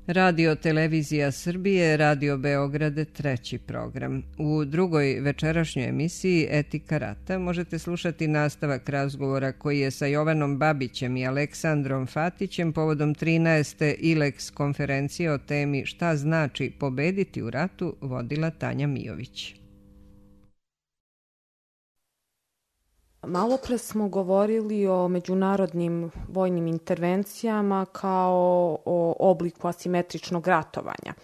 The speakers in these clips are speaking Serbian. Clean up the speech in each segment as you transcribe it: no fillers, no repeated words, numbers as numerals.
Radio Televizija Srbije, Radio Beograd, treći program. U drugoj večerašnjoj emisiji Etika rata možete slušati nastavak razgovora koji je sa Jovanom Babićem i Aleksandrom Fatićem povodom 13. ILEX konferencije o temi Šta znači pobediti u ratu vodila Tanja Mijović. Malopre smo govorili o međunarodnim vojnim intervencijama kao o obliku asimetričnog ratovanja.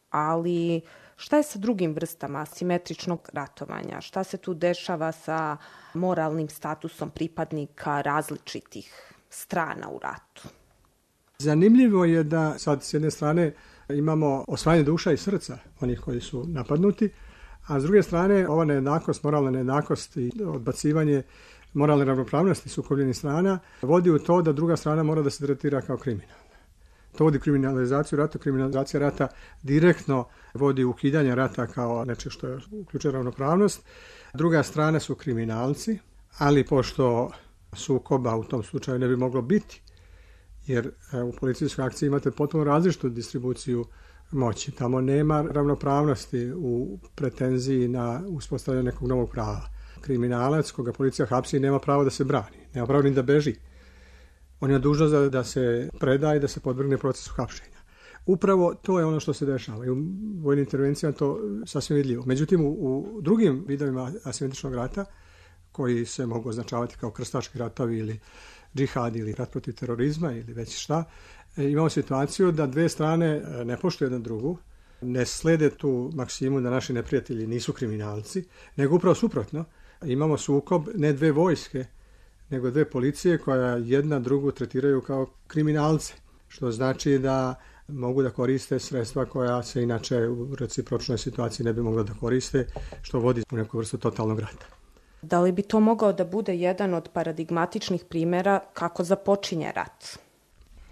Ali šta je sa drugim vrstama asimetričnog ratovanja? Šta se tu dešava sa moralnim statusom pripadnika različitih strana u ratu? Zanimljivo je da sad s jedne strane imamo osvajanje duša i srca onih koji su napadnuti, a s druge strane ova nejednakost, moralna nejednakost i odbacivanje moralne ravnopravnosti sukobljenih strana vodi u to da druga strana mora da se tretira kao kriminalna. To vodi kriminalizaciju rata, kriminalizacija rata direktno vodi ukidanje rata kao nečeg što je uključuje ravnopravnost. Druga strana su kriminalci, ali pošto sukoba u tom slučaju ne bi moglo biti, jer u policijskoj akciji imate potpuno različitu distribuciju moći. Tamo nema ravnopravnosti u pretenziji na uspostavljanje nekog novog prava. Kriminalac koga policija hapsi nema pravo da se brani, nema pravo ni da beži. On je dužan da se preda i da se podvrgne procesu hapšenja. Upravo to je ono što se dešava i u vojnim intervencijama to sasvim vidljivo. Međutim, u drugim vidovima asimetričnog rata, koji se mogu označavati kao krstaški ratovi ili džihad ili rat protiv terorizma ili već šta, imamo situaciju da dve strane ne poštuju jedna drugu, ne slede tu maksimu da naši neprijatelji nisu kriminalci, nego upravo suprotno. Imamo sukob ne dve vojske, nego dve policije koja jedna drugu tretiraju kao kriminalce, što znači da mogu da koriste sredstva koja se inače u recipročnoj situaciji ne bi mogla da koriste, što vodi u neku vrstu totalnog rata. Da li bi to mogao da bude jedan od paradigmatičnih primjera kako započinje rat?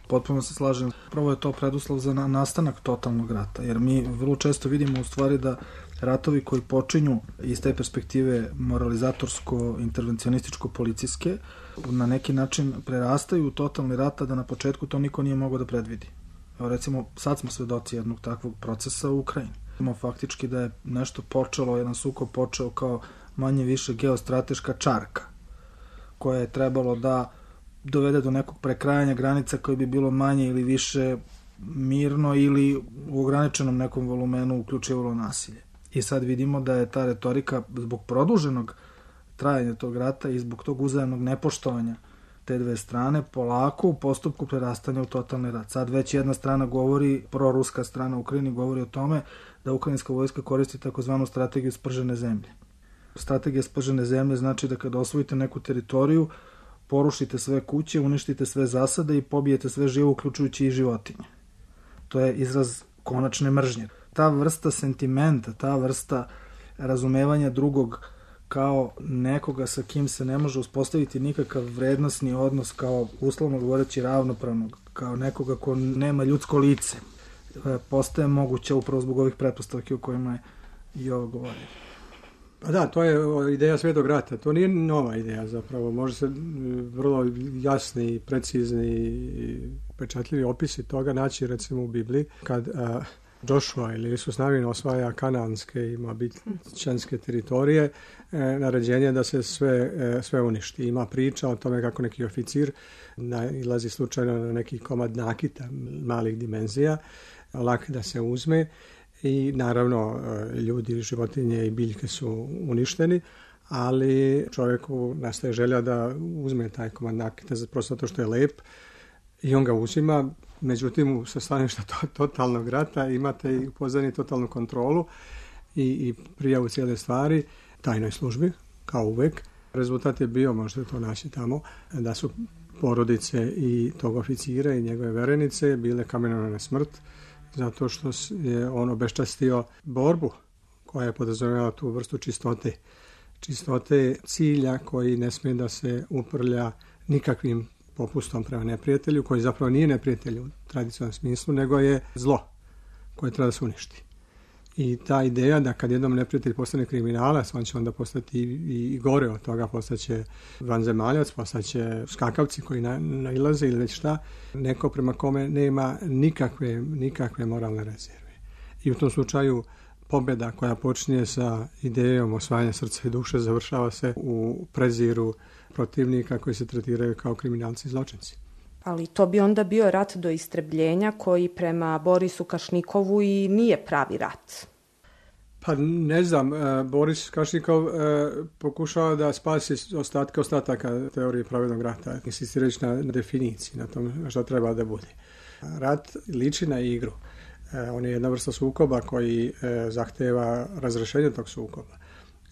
Potpuno se slažem. Prvo je to preduslov za nastanak totalnog rata, jer mi vrlo često vidimo u stvari da ratovi koji počinju iz te perspektive moralizatorsko-intervencionističko-policijske na neki način prerastaju u totalni rat, da na početku to niko nije mogao da predvidi. Evo recimo, sad smo svedoci jednog takvog procesa u Ukrajini. Imamo faktički da je nešto počelo, jedan sukob počeo kao manje više geostrateška čarka, koja je trebalo da dovede do nekog prekrajanja granica koje bi bilo manje ili više mirno ili u ograničenom nekom volumenu uključivalo nasilje. I sad vidimo da je ta retorika zbog produženog trajanja tog rata i zbog tog uzajamnog nepoštovanja te dve strane polako u postupku prerastanja u totalni rat. Sad već jedna strana govori, proruska strana u Ukrajini govori o tome da ukrajinska vojska koristi takozvanu strategiju spržene zemlje. Strategija spržene zemlje znači da kada osvojite neku teritoriju, porušite sve kuće, uništite sve zasade i pobijete sve živo, uključujući i životinje. To je izraz konačne mržnje. Ta vrsta sentimenta, ta vrsta razumevanja drugog kao nekoga sa kim se ne može uspostaviti nikakav vrednosni odnos, kao uslovno govoreći ravnopravnog, kao nekoga ko nema ljudsko lice, postaje moguće upravo zbog ovih pretpostavki o kojima je i ovo govorio. Pa da, to je ideja Svetog rata. To nije nova ideja zapravo. Može se vrlo jasni, precizni i pečatljivi opisi toga naći recimo u Bibliji. Kad Joshua ili Isus Navin osvaja kananske i moabićanske teritorije, naređenje da se sve uništi. Ima priča o tome kako neki oficir nailazi slučajno na neki komad nakita malih dimenzija, lak da se uzme. I naravno ljudi, životinje i biljke su uništeni, ali čovjeku nastaje želja da uzme taj komad nakita prosto zato što je lep i on ga uzima. Međutim, sa staništa totalnog rata imate i u pozadini totalnu kontrolu i prijavu cijele stvari tajnoj službi, kao uvek. Rezultat je bio, možete to naći tamo, da su porodice i tog oficira i njegove verenice bile kamenovane na smrt, zato što je on obeščastio borbu koja je podrazumevala tu vrstu čistote. Čistote cilja koji ne smije da se uprlja nikakvim popustom prema neprijatelju, koji zapravo nije neprijatelj u tradicionalnom smislu, nego je zlo koje treba da se uništi. I ta ideja da kad jednom neprijatelj postane kriminalac, on će onda postati i gore od toga, postaće vanzemaljac, postaće skakavci koji nailaze ili već šta, neko prema kome nema nikakve moralne rezerve. I u tom slučaju pobjeda koja počinje sa idejom osvajanja srca i duše završava se u preziru protivnika koji se tretiraju kao kriminalci i zločinci. Ali to bi onda bio rat do istrebljenja koji prema Borisu Kašnikovu i nije pravi rat. Pa ne znam, Boris Kašnikov pokušava da spasi ostataka teorije pravednog rata, insistirajući na definiciji, na tom što treba da bude. Rat liči na igru. On je jedna vrsta sukoba koji zahteva razrešenje tog sukoba.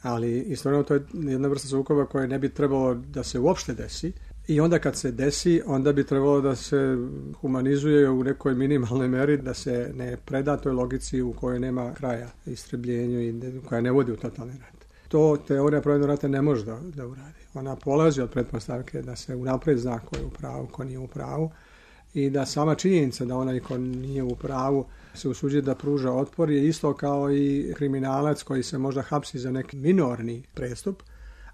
Ali istovremeno to je jedna vrsta sukoba koja ne bi trebalo da se uopšte desi. I onda kad se desi, onda bi trebalo da se humanizuje u nekoj minimalnoj meri, da se ne preda toj logici u kojoj nema kraja istrebljenju i koja ne vodi u totalni rat. To teorija pravednog rata ne može da uradi. Ona polazi od pretpostavke da se unapred zna ko je u pravu, ko nije u pravu i da sama činjenica da onaj ko nije u pravu se usuđuje da pruža otpor je isto kao i kriminalac koji se možda hapsi za neki minorni prestup,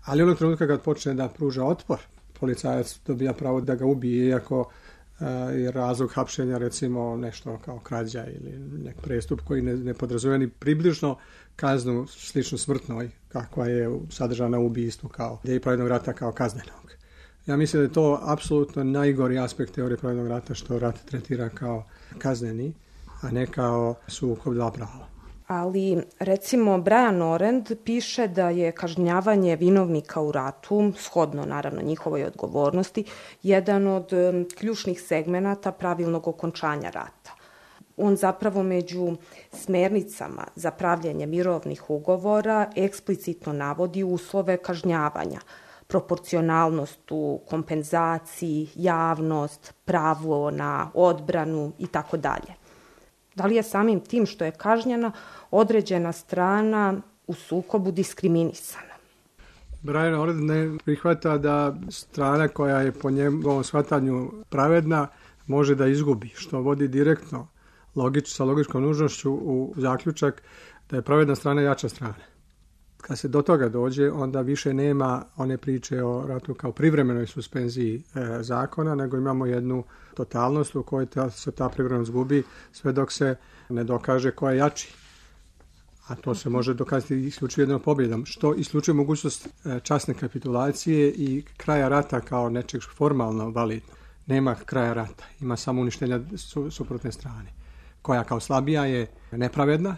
ali onog trenutka kad počne da pruža otpor, policajac dobija pravo da ga ubije, iako je razlog hapšenja recimo nešto kao krađa ili nek prestup koji ne podrazumijeva ni približno kaznu sličnu smrtnoj kakva je sadržana u ubistvu kao ideji pravednog rata kao kaznenog. Ja mislim da je to apsolutno najgori aspekt teorije pravednog rata, što rat tretira kao kazneni, a ne kao sukob dva prava. Ali, recimo, Brian Orend piše da je kažnjavanje vinovnika u ratu, shodno naravno njihovoj odgovornosti, jedan od ključnih segmenata pravilnog okončanja rata. On zapravo među smernicama za pravljenje mirovnih ugovora eksplicitno navodi uslove kažnjavanja, proporcionalnost u kompenzaciji, javnost, pravo na odbranu i tako dalje. Da li je samim tim što je kažnjena određena strana u sukobu diskriminisana? Brian Orend ne prihvata da strana koja je po njegovom shvatanju pravedna može da izgubi, što vodi direktno sa logičkom nužnošću u zaključak da je pravedna strana jača strana. Kad se do toga dođe, onda više nema one priče o ratu kao privremenoj suspenziji zakona, nego imamo jednu totalnost u kojoj se ta privremenost gubi sve dok se ne dokaže ko je jači. A to se može dokazati isključivo jednom pobjedom, što isključuje mogućnost časne kapitulacije i kraja rata kao nečeg formalno validno. Nema kraja rata, ima samo uništenja suprotne strane, koja kao slabija je nepravedna,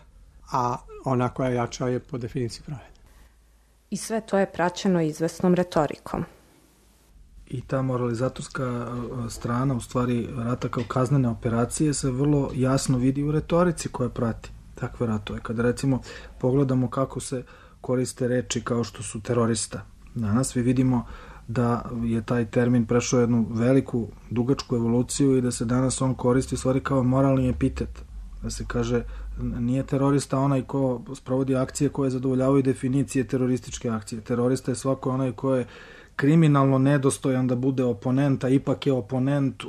a ona koja jača je po definiciji pravedna. I sve to je praćeno izvesnom retorikom. I ta moralizatorska strana, u stvari rata kao kaznene operacije, se vrlo jasno vidi u retorici koja prati takve ratove. Kada recimo pogledamo kako se koriste reči kao što su terorista, danas vi vidimo da je taj termin prešao jednu veliku, dugačku evoluciju i da se danas on koristi u stvari kao moralni epitet. Da se kaže, nije terorista onaj ko sprovodi akcije koje zadovoljavaju definicije terorističke akcije. Terorista je svako onaj ko je kriminalno nedostojan da bude oponent, a ipak je oponent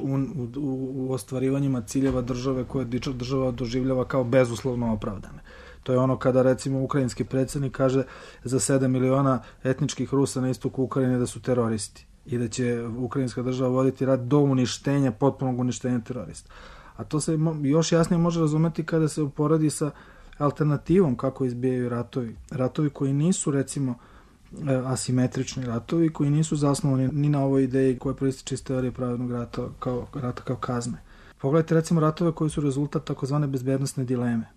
u ostvarivanjima ciljeva države koje država doživljava kao bezuslovno opravdane. To je ono kada recimo ukrajinski predsjednik kaže za 7 miliona etničkih Rusa na istoku Ukrajine da su teroristi i da će ukrajinska država voditi rat do uništenja, potpunog uništenja terorista. A to se još jasnije može razumeti kada se uporedi sa alternativom kako izbijaju ratovi. Ratovi koji nisu recimo asimetrični ratovi, koji nisu zasnovani ni na ovoj ideji koja proističe iz teorije pravednog rata kao kazne. Pogledajte recimo ratove koji su rezultat takozvane bezbednosne dileme.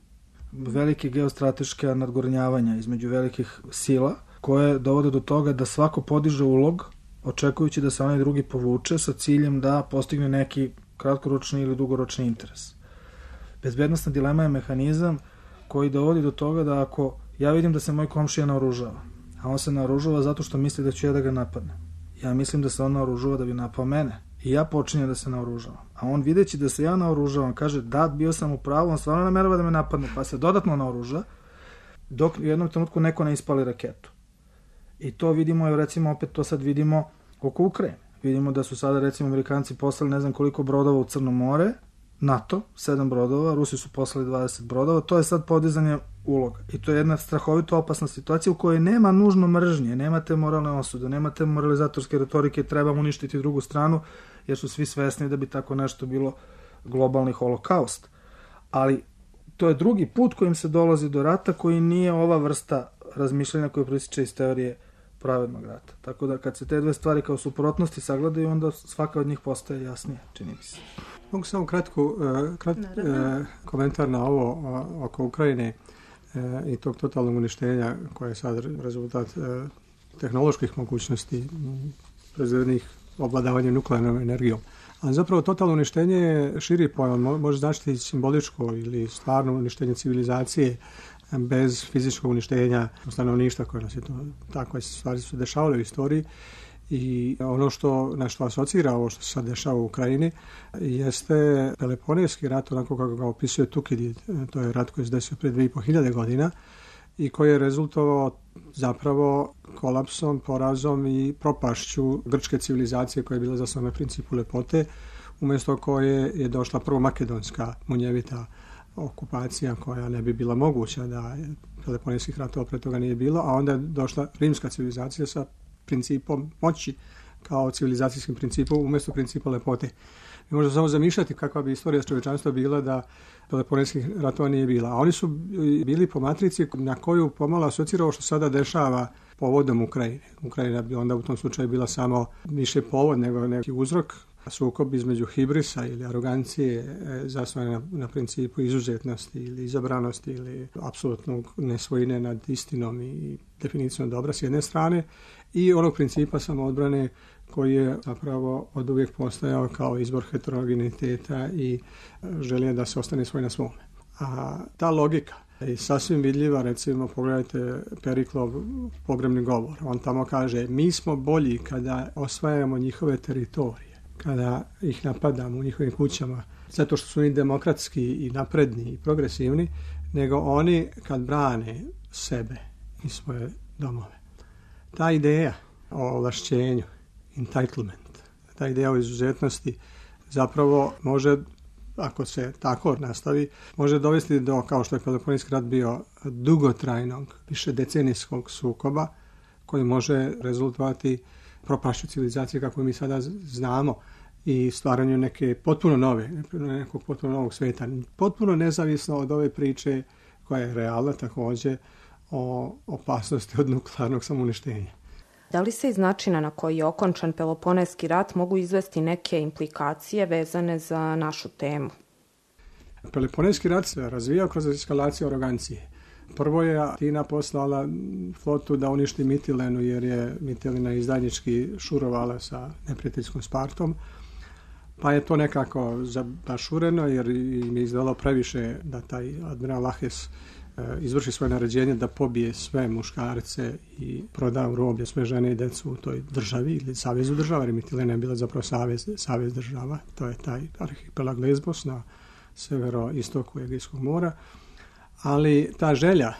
Velike geostrateške nadgornjavanja između velikih sila koje dovode do toga da svako podiže ulog očekujući da se onaj drugi povuče sa ciljem da postigne neki kratkoročni ili dugoročni interes. Bezbednosna dilema je mehanizam koji dovodi do toga da ako ja vidim da se moj komšija naoružava, a on se naoružava zato što misli da ću ja da ga napadnem. Ja mislim da se on naoružava da bi napao mene i ja počinjem da se naoružavam. A on videći da se ja naoružavam, kaže da, bio sam u pravu, on stvarno namerava da me napadne, pa se dodatno naoruža dok u jednom trenutku neko ne ispali raketu. I to vidimo, recimo opet to sad vidimo oko Ukrajine. Vidimo da su sada recimo Amerikanci poslali ne znam koliko brodova u Crno more NATO, 7 brodova, Rusi su poslali 20 brodova, to je sad podizanje uloga. I to je jedna strahovito opasna situacija u kojoj nema nužno mržnje, nemate moralne osude, nemate moralizatorske retorike, treba uništiti drugu stranu, jer su svi svesni da bi tako nešto bilo globalni holokaust. Ali to je drugi put kojim se dolazi do rata, koji nije ova vrsta razmišljanja koja proističe iz teorije pravednog rata. Tako da kad se te dve stvari kao suprotnosti sagledaju, onda svaka od njih postaje jasnije, čini mi se. Mogu samo komentar na ovo oko Ukrajine i tog totalnog uništenja koje je sad rezultat tehnoloških mogućnosti proizvedenih obladavanja nuklearnom energijom. Ali zapravo totalno uništenje je širi pojam, može značiti simboličko ili stvarno uništenje civilizacije bez fizičkog uništenja stanovništva koje nas je to, takve stvari su dešavale u istoriji. I ono na što asocira ovo što se sad dešava u Ukrajini jeste Peloponejski rat, onako kako ga opisuje Tukidid. To je rat koji se desio pred 2500 godina i koji je rezultovao zapravo kolapsom, porazom i propašću grčke civilizacije koja je bila zasnovana na principu lepote, umjesto koje je došla prvo makedonska munjevita okupacija koja ne bi bila moguća da Peloponejskih ratova pre toga nije bilo, a onda je došla rimska civilizacija sa principom moći kao civilizacijskim principom umjesto principa lepote. Mi možemo samo zamišljati kakva bi istorija čovječanstva bila da Peloponejskih ratova nije bila. A oni su bili po matrici na koju pomalo asocira ovo što sada dešava povodom Ukrajine. Ukrajina bi onda u tom slučaju bila samo više povod nego neki uzrok. Sukob između hibrisa ili arogancije zasnovane na principu izuzetnosti ili izabranosti ili apsolutnog nesvojine nad istinom i definicijom dobra s jedne strane i onog principa samoodbrane koji je zapravo od uvijek postojao kao izbor heterogeniteta i želje da se ostane svoj na svome. A ta logika je sasvim vidljiva, recimo pogledajte Periklov pogrebni govor. On tamo kaže mi smo bolji kada osvajamo njihove teritorije, kada ih napadamo u njihovim kućama, zato što su oni demokratski i napredni i progresivni, nego oni kad brane sebe i svoje domove. Ta ideja o ovlašćenju, entitlement, ta ideja o izuzetnosti zapravo može, ako se tako nastavi, može dovesti do, kao što je Peloponejski rat bio, dugotrajnog, višedecenijskog sukoba koji može rezultovati propašću civilizacije kako mi sada znamo i stvaranju neke potpuno nove, nekog potpuno novog sveta, potpuno nezavisno od ove priče koja je realna također o opasnosti od nuklearnog samouništenja. Da li se iz načina na koji je okončan Peloponejski rat mogu izvesti neke implikacije vezane za našu temu? Peloponejski rat se razvijao kroz eskalaciju arogancije. Prvo je Atina poslala flotu da uništi Mitilenu jer je Mitilena izdajnički šurovala sa neprijateljskom Spartom. Pa je to nekako zabašureno jer im je izdalo previše da taj admiral Lahes izvrši svoje naređenje da pobije sve muškarce i proda u roblje sve žene i decu u toj državi ili savezu država, jer Mitilena je bila zapravo savez država. To je taj arhipelag Lesbos na severoistoku Egejskog mora. Ali ta želja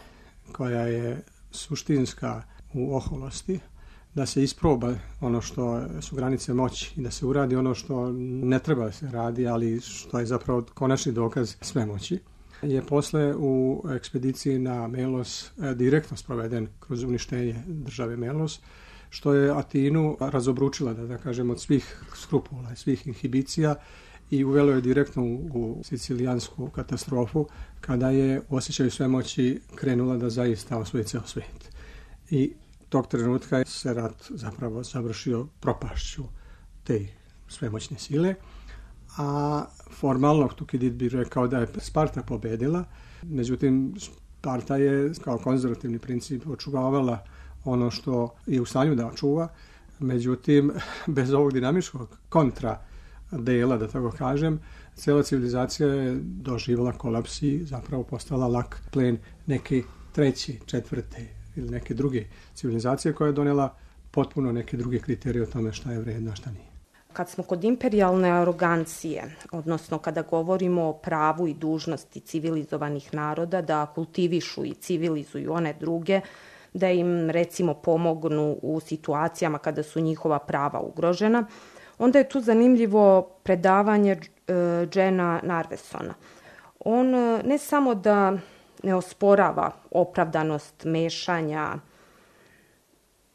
koja je suštinska u oholosti, da se isproba ono što su granice moći i da se uradi ono što ne treba da se radi, ali što je zapravo konačni dokaz svemoći, je posle u ekspediciji na Melos direktno sproveden kroz uništenje države Melos, što je Atinu razobručila, da kažem, od svih skrupula, svih inhibicija i uvelo je direktno u sicilijansku katastrofu kada je u osjećaju svemoći krenula da zaista osvoji ceo svijet. I tog trenutka se rat zapravo završio propašću te svemoćne sile, a formalno Tukidid bi rekao da je Sparta pobedila, međutim Sparta je kao konzervativni princip očuvavala ono što je u stanju da očuva, međutim bez ovog dinamičkog kontra dela, da tako kažem, cijela civilizacija je doživjela kolaps i zapravo postala lak plen neke treće, četvrte ili neke druge civilizacije koja je donijela potpuno neke druge kriterije o tome šta je vredno, a šta nije. Kad smo kod imperijalne arogancije, odnosno kada govorimo o pravu i dužnosti civilizovanih naroda da kultivišu i civilizuju one druge, da im recimo pomognu u situacijama kada su njihova prava ugrožena, Onda je tu zanimljivo predavanje Jena Narvesona. On ne samo da ne osporava opravdanost mešanja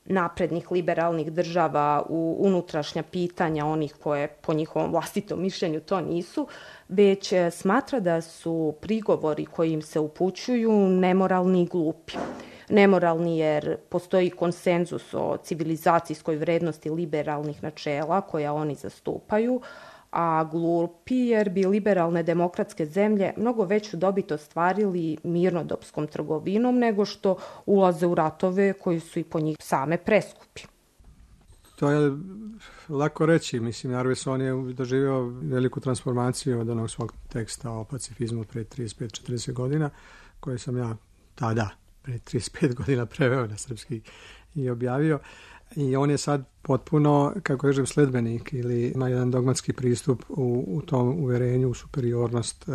naprednih liberalnih država u unutrašnja pitanja onih koje po njihovom vlastitom mišljenju to nisu, već smatra da su prigovori koji im se upućuju nemoralni i glupi. Nemoralni jer postoji konsenzus o civilizacijskoj vrednosti liberalnih načela koja oni zastupaju, a glupi jer bi liberalne demokratske zemlje mnogo veću dobit ostvarili mirnodopskom trgovinom nego što ulaze u ratove koji su i po njih same preskupi. To je lako reći. Mislim, Narveson je doživio veliku transformaciju od onog svog teksta o pacifizmu pre 35-40 godina, koje sam ja tada, pre 35 godina, preveo na srpski i objavio. I on je sad potpuno, kako kažem, sledbenik ili ima jedan dogmatski pristup u tom uverenju u superiornost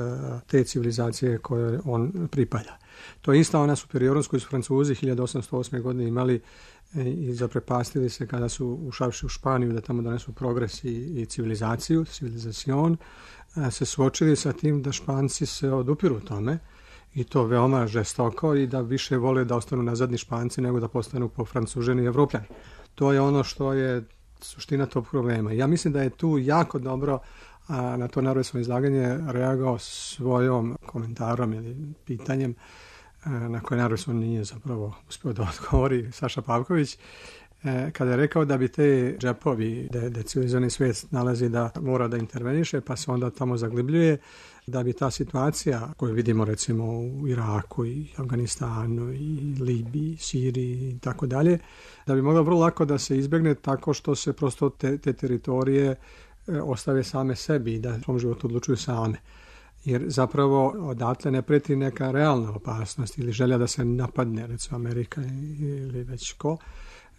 te civilizacije koje on pripada. To je ista ona superiornost koju su Francuzi 1808. godine imali i zaprepastili se kada su ušavši u Španiju da tamo donesu progres i civilizaciju, civilizacion, se suočili sa tim da Španci se odupiru tome i to veoma žestoko i da više vole da ostanu nazadni Španci nego da postanu pofrancuženi Evropljani. To je ono što je suština tog problema. Ja mislim da je tu jako dobro na to Narvesovo izlaganje reagovao svojom komentarom ili pitanjem na koje Narveson nije zapravo uspio da odgovori, Saša Pavković, kada je rekao da bi te džepovi, da civilizovani svijet nalazi da mora da interveniše, pa se onda tamo zaglibljuje, da bi ta situacija koju vidimo recimo u Iraku i Afganistanu i Libiji, Siriji i tako dalje, da bi mogla vrlo lako da se izbjegne tako što se prosto te teritorije ostave same sebi i da u svom životu odlučuju same. Jer zapravo odatle ne preti neka realna opasnost ili želja da se napadne, recimo Amerika ili već ko,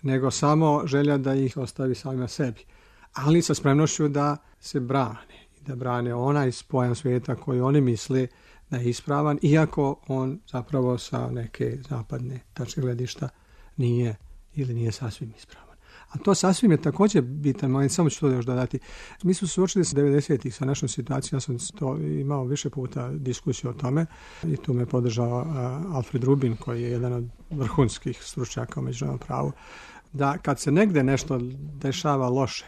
nego samo želja da ih ostavi samima sebi. Ali sa spremnošću da se brane i da brane onaj pojam svijeta koji oni misle da je ispravan, iako on zapravo sa neke zapadne tačke gledišta nije ili nije sasvim ispravan. A to sasvim je također bitan moment, samo ću to još dodati. Mi smo suočili s 90-ih sa našom situacijom, ja sam to imao više puta diskusiju o tome i tu me podržao Alfred Rubin, koji je jedan od vrhunskih stručnjaka u međunarodnom pravu, da kad se negde nešto dešava loše,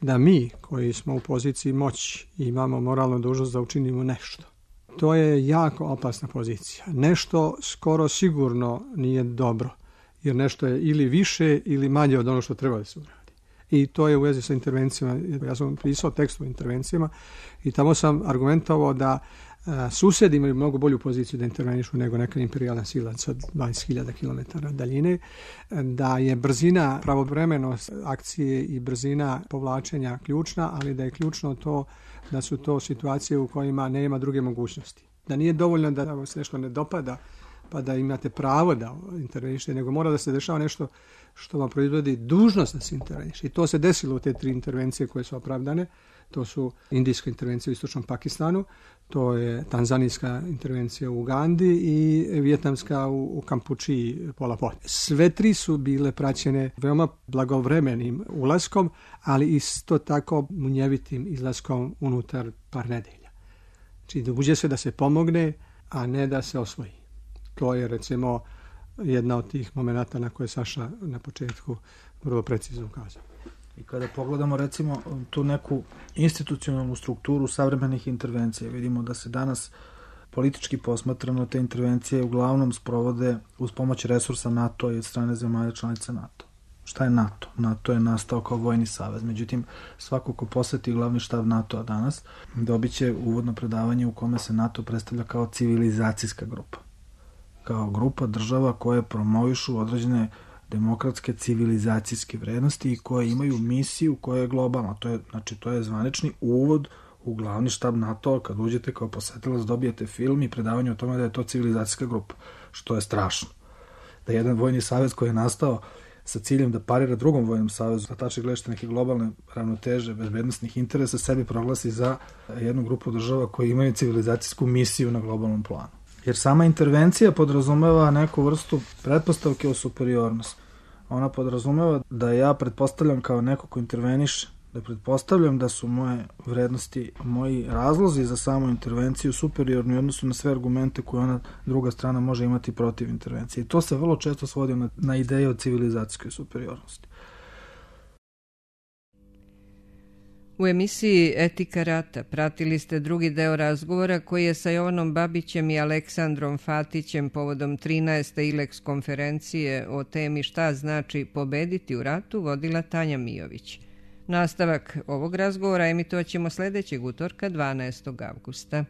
da mi koji smo u poziciji moći i imamo moralnu dužnost da učinimo nešto. To je jako opasna pozicija. Nešto skoro sigurno nije dobro, jer nešto je ili više ili manje od ono što treba da se uradi. I to je u vezi sa intervencijama. Ja sam pisao tekst o intervencijama i tamo sam argumentovao da susedi imaju mnogo bolju poziciju da intervenišu nego neka imperijalna sila sa 20.000 km daljine, da je brzina, pravovremenost akcije i brzina povlačenja ključna, ali da je ključno to da su to situacije u kojima nema druge mogućnosti. Da nije dovoljno da vam se nešto ne dopada pa da imate pravo da intervenišete, nego mora da se dešava nešto što vam proizvodi dužnost da se interveniše. I to se desilo u te 3 intervencije koje su opravdane. To su indijska intervencija u istočnom Pakistanu, to je tanzanijska intervencija u Ugandi i vijetnamska u Kampučiji, Pol Pot. Sve 3 su bile praćene veoma blagovremenim ulaskom, ali isto tako munjevitim izlaskom unutar par nedelja. Znači dođe se da se pomogne, a ne da se osvoji. To je recimo jedna od tih momenata na koje Saša na početku vrlo precizno ukazao. I kada pogledamo recimo tu neku institucionalnu strukturu savremenih intervencija, vidimo da se danas politički posmatrano te intervencije uglavnom sprovode uz pomoć resursa NATO i od strane zemalja članica NATO. Šta je NATO? NATO je nastao kao vojni savez. Međutim, svako ko poseti glavni štab NATO-a danas dobit će uvodno predavanje u kome se NATO predstavlja kao civilizacijska grupa. Kao grupa država koje promovišu određene demokratske civilizacijske vrednosti i koje imaju misiju koja je globalna. To je zvanični uvod u glavni štab NATO. Kad uđete kao posetilac dobijete film i predavanje o tome da je to civilizacijska grupa, što je strašno. Da jedan vojni savez koji je nastao sa ciljem da parira drugom vojnom savezu, da tače gledište neke globalne ravnoteže bezbednostnih interesa, sebi proglasi za jednu grupu država koji imaju civilizacijsku misiju na globalnom planu. Jer sama intervencija podrazumeva neku vrstu pretpostavke o superiornosti. Ona podrazumeva da ja pretpostavljam kao neko ko interveniše Da pretpostavljam da su moje vrednosti, moji razlozi za samu intervenciju superiorni u odnosu na sve argumente koje ona druga strana može imati protiv intervencije. I to se vrlo često svodi na ideje o civilizacijskoj superiornosti. U emisiji Etika rata pratili ste drugi deo razgovora koji je sa Jovanom Babićem i Aleksandrom Fatićem povodom 13. ILEX konferencije o temi šta znači pobediti u ratu vodila Tanja Mijović. Nastavak ovog razgovora emitovat ćemo sledećeg utorka 12. avgusta.